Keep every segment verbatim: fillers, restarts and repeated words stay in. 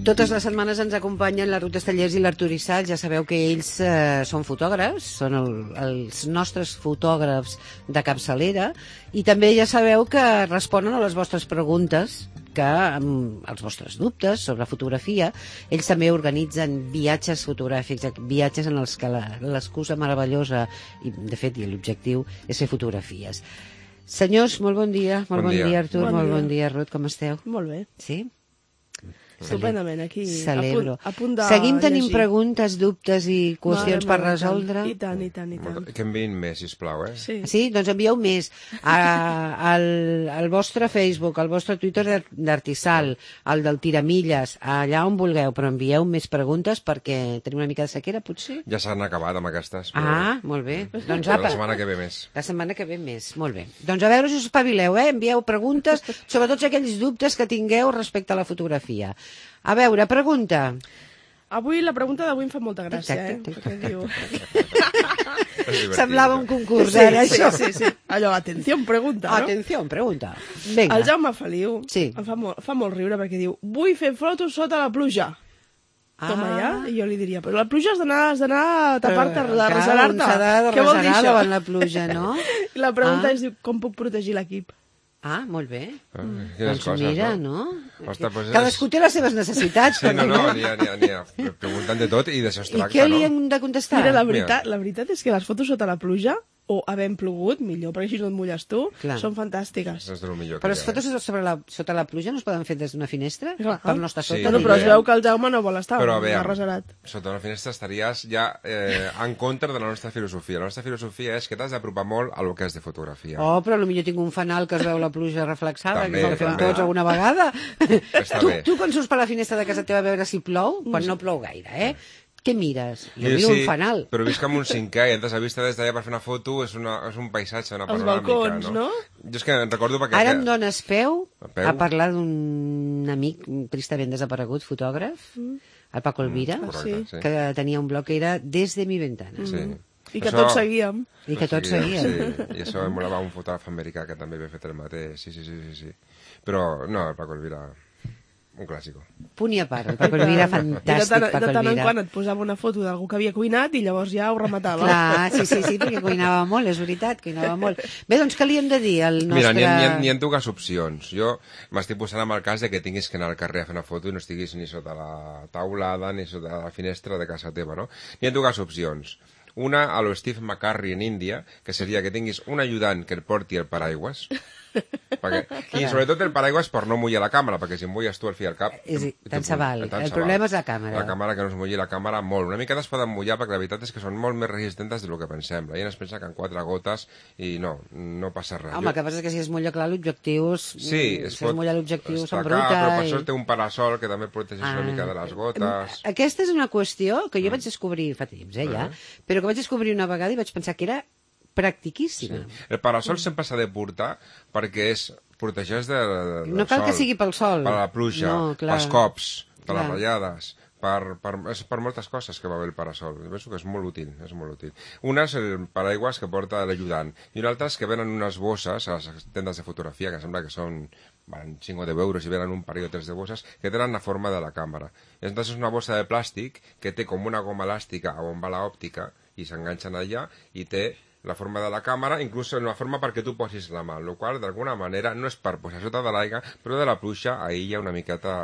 Totes les setmanes ens acompanyen la Ruth Estellers i l'Artur Issal. Ja sabeu que ells eh, són fotògrafs, són el, els nostres fotògrafs de capçalera, i també ja sabeu que responen a les vostres preguntes, que amb els vostres dubtes sobre fotografia. Ells també organitzen viatges fotogràfics, viatges en els que l'excusa meravellosa, i de fet i l'objectiu, és fer fotografies. Senyors, molt bon dia. Molt bon, bon dia, dia Artur. Bon molt dia. Bon dia, Ruth. Com esteu? Molt bé. Sí? Estupendament, aquí. Celebro. A punt, a punt de Seguim tenint llegir. preguntes, dubtes i qüestions Mare per meva, resoldre? I tant, i tant, i tant. Que enviïn més, sisplau, eh? Sí. Sí? Doncs envieu més a, al, al vostre Facebook, al vostre Twitter d'Artissal, al del Tiramilles, allà on vulgueu, però envieu més preguntes perquè tenim una mica de sequera, potser? Ja s'han acabat amb aquestes. Però... Ah, molt bé. Doncs Però apa. la setmana que ve més. La setmana que ve més, molt bé. Doncs a veure si us espavileu, eh? Envieu preguntes sobre tots aquells dubtes que tingueu respecte a la fotografia. A veure, pregunta. Avui, la pregunta d'avui em fa molta gràcia, Exacte. eh? Perquè diu... Semblava un concurs, Sí, ara, sí, això. sí, sí. Allò, atenció, pregunta, no? Atenció, pregunta. Vinga. El Jaume Feliu Sí. em fa molt, fa molt riure perquè diu vull fer fotos sota la pluja. Toma ja, i jo li diria, però la pluja has d'anar has d'anar a tapar-te, Però, de clar, reserar-te. un s'ha de Què vol dir reserar això? davant la pluja, no? I la pregunta Ah. és, diu, com puc protegir l'equip? Ah, molt bé. Ah, quines Doncs coses, mira, no? no? Ostres, pues és- Cadascú té les seves necessitats. Sí, no, no, perquè n'hi ha, n'hi ha, n'hi ha. Preguntant de tot i d'això es I tracta, què li no? hem de contestar? Mira, la veritat, la veritat és que les fotos sota la pluja, o havent plogut, millor, perquè així no et mulles tu, Clar. són fantàstiques. Això és del millor Però que les hi ha, fotos sobre la, sota la pluja no es poden fer des d'una finestra? Clar. Per no estar Sí, sota? Bueno, però sí, es ja. veu que el Jaume no vol estar, Però, no aviam, ha reserat. sota una finestra estaries ja eh, en contra de la nostra filosofia. La nostra filosofia és que t'has d'apropar molt a lo que és de fotografia. Oh, però potser tinc un fanal que es veu la pluja reflexada, També, que és el que fem també. tots alguna vegada. Està tu, bé. tu quan surts per la finestra de casa teva a veure si plou, quan no plou gaire, eh? Què mires? Jo miro un fanal. Però visc amb un cinquè i entres a vista des d'allà per fer una foto, és, una, és un paisatge, una Els panoràmica, balcons, no? Jo és que en recordo perquè... Ara em dones peu A peu? a parlar d'un amic tristament desaparegut, fotògraf, el Paco Elvira, Correcte, sí. sí. que tenia un blog que era Des de mi ventana. Sí. I que Això- tots seguíem. I que tots seguien. Sí, i això em molava un fotògraf americà que també havia fet el mateix, sí, sí, sí, sí, sí. Però, no, el Paco Elvira, un clàssico. Punt i a part, el Paco Elvira, I de tant, fantàstic, de Paco tant en Elvira. quan et posava una foto d'algú que havia cuinat i llavors ja ho rematava. Clar, sí, sí, sí, perquè cuinava molt, és veritat, cuinava molt. Bé, doncs què li hem de dir al nostre... Mira, n'hi ha, n'hi ha, n'hi ha dues opcions. Jo m'estic posant amb el cas de que tinguis que anar al carrer a fer una foto i no estiguis ni sota la taulada ni sota la finestra de casa teva, no? N'hi ha dues opcions. Una, a lo Steve McCurry en Índia, que seria que tinguis un ajudant que et porti el paraigües, perquè, i sobretot el paraigües per no mullar la càmera, perquè si em mulles tu al fi al cap... És, te- tant te- se val. tant El se problema val. és la càmera. La càmera, que no es mulli la càmera molt. Una mica es poden mullar perquè la veritat és que són molt més resistents del que pensem. La gent es pensa que en quatre gotes i no, no passa res. Home, el que passa és que si es mulla clar l'objectiu, Sí, es si pot es mulla l'objectiu estacar, s'embruta. però per i- això té un parasol que també protegeix Ah. una mica de les gotes. Aquesta és una qüestió que jo vaig descobrir fa temps, eh, ja, Ah. però que vaig descobrir una vegada i vaig pensar que era practiquíssima. El parasol sempre s'ha de portar perquè és protegeix de, de, del No cal sol, que sigui pel sol. per la pluja, No, clar. pels cops, per Clar. les ratllades, per, per, és per moltes coses que va bé el parasol. Jo penso que és molt útil, és molt útil. Una és el paraigües que porta l'ajudant i una altra és que venen unes bosses a les tendes de fotografia, que sembla que són van cinc o deu euros i venen un parell o tres de bosses que tenen la forma de la càmera. I entonces és una bossa de plàstic que té com una goma elàstica on va l'òptica i s'enganxen allà i té la forma de la càmera, inclús en la forma perquè tu posis la mà, el qual d'alguna manera no és per posar sota de l'aigua, però de la pluja aïlla una miqueta...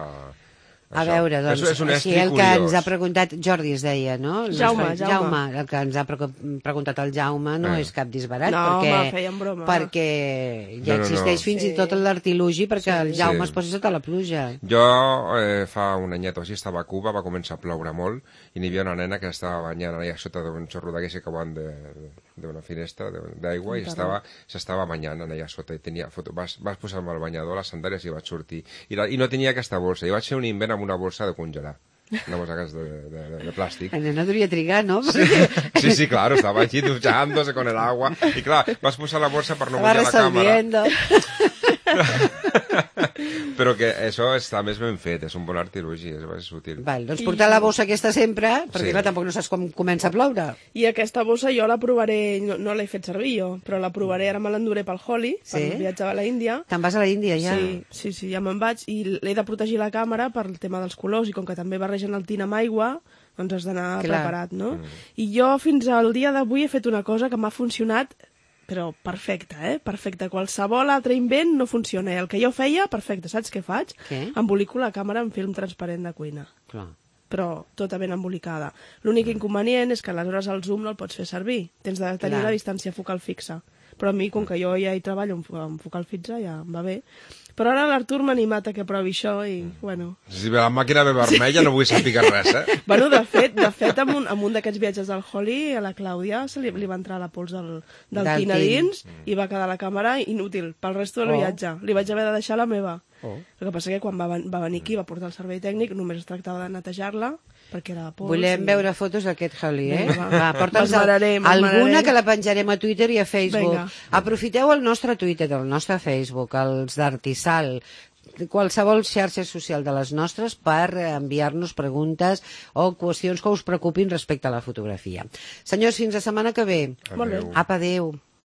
A això. veure, doncs, és, és un així estri el que curiós. ens ha preguntat, Jordi es deia, no? El Jaume, nostre- Jaume. Jaume. El que ens ha pre- preguntat el Jaume no Eh. és cap disbarat, No, perquè, home, feien broma. perquè ja No, no, no. existeix fins Sí. i tot l'artilugi perquè el Jaume Sí. es posi sota la pluja. Jo eh, fa un anyet o així estava a Cuba, va començar a ploure molt i n'hi havia una nena que estava banyant allà sota d'un xorro d'aquest que van d'una finestra de- d'aigua i estava s'estava banyant allà sota i tenia foto. Vas, vas posar-me el banyador, les sandàlies i vaig sortir. I, la, I no tenia aquesta bolsa. I vaig fer un invent amb una bolsa de congelar. Una bolsa de, de, de, de plàstic. La nena devia trigar, no? Sí, sí, sí, claro, estaba allí duchándose con el agua. Y claro, vas posar la bolsa per no Estava mullar la càmera. resolviendo. Però que això està més ben fet, és un bon artilugi, és, és útil. Val, doncs portar la bossa aquesta sempre, perquè Sí. clar, tampoc no saps com comença a ploure. I aquesta bossa jo la provaré, no, no l'he fet servir jo, però la provaré, ara me l'enduré pel Holly, Sí? per viatjar a la Índia. Te'n vas a la Índia ja? Sí, sí, sí, ja me'n vaig, i l'he de protegir la càmera per el tema dels colors, i com que també barregen el tint amb aigua, doncs has d'anar Clar. preparat, no? Mm. I jo fins al dia d'avui he fet una cosa que m'ha funcionat, però perfecta, eh? Perfecta. Qualsevol altre invent no funciona. I el que jo feia, perfecte. Saps què faig? Què? Embolico la càmera en film transparent de cuina. Clar. Però tota ben embolicada. L'únic inconvenient és que aleshores el zoom no el pots fer servir. Tens de tenir Clar. la distància focal fixa. Però a mi, com que jo ja hi treballo amb, amb focal fixa, ja em va bé. Però ara l'Artur m'ha animat a que provi això i, bueno... Si la màquina ve vermella no vull saber res, eh? Bueno, de fet, de fet amb un, amb un d'aquests viatges del Holly, a la Clàudia se li, li va entrar la pols del, del, Del tint a tint. dins i va quedar la càmera inútil pel resto del Oh. viatge. Li vaig haver de deixar la meva. Oh. El que passa que quan va, ven- va venir aquí, va portar el servei tècnic, només es tractava de netejar-la, perquè era pols. Volem i- veure fotos d'aquest Holly, eh? Vinga, va. Va, porta'ns M'esmeraré, alguna m'esmeraré. que la penjarem a Twitter i a Facebook. Vinga. Aprofiteu el nostre Twitter, el nostre Facebook, els d'Artisal, qualsevol xarxa social de les nostres per enviar-nos preguntes o qüestions que us preocupin respecte a la fotografia. Senyors, fins la setmana que ve. Molt bé. Adéu. Apa, adéu.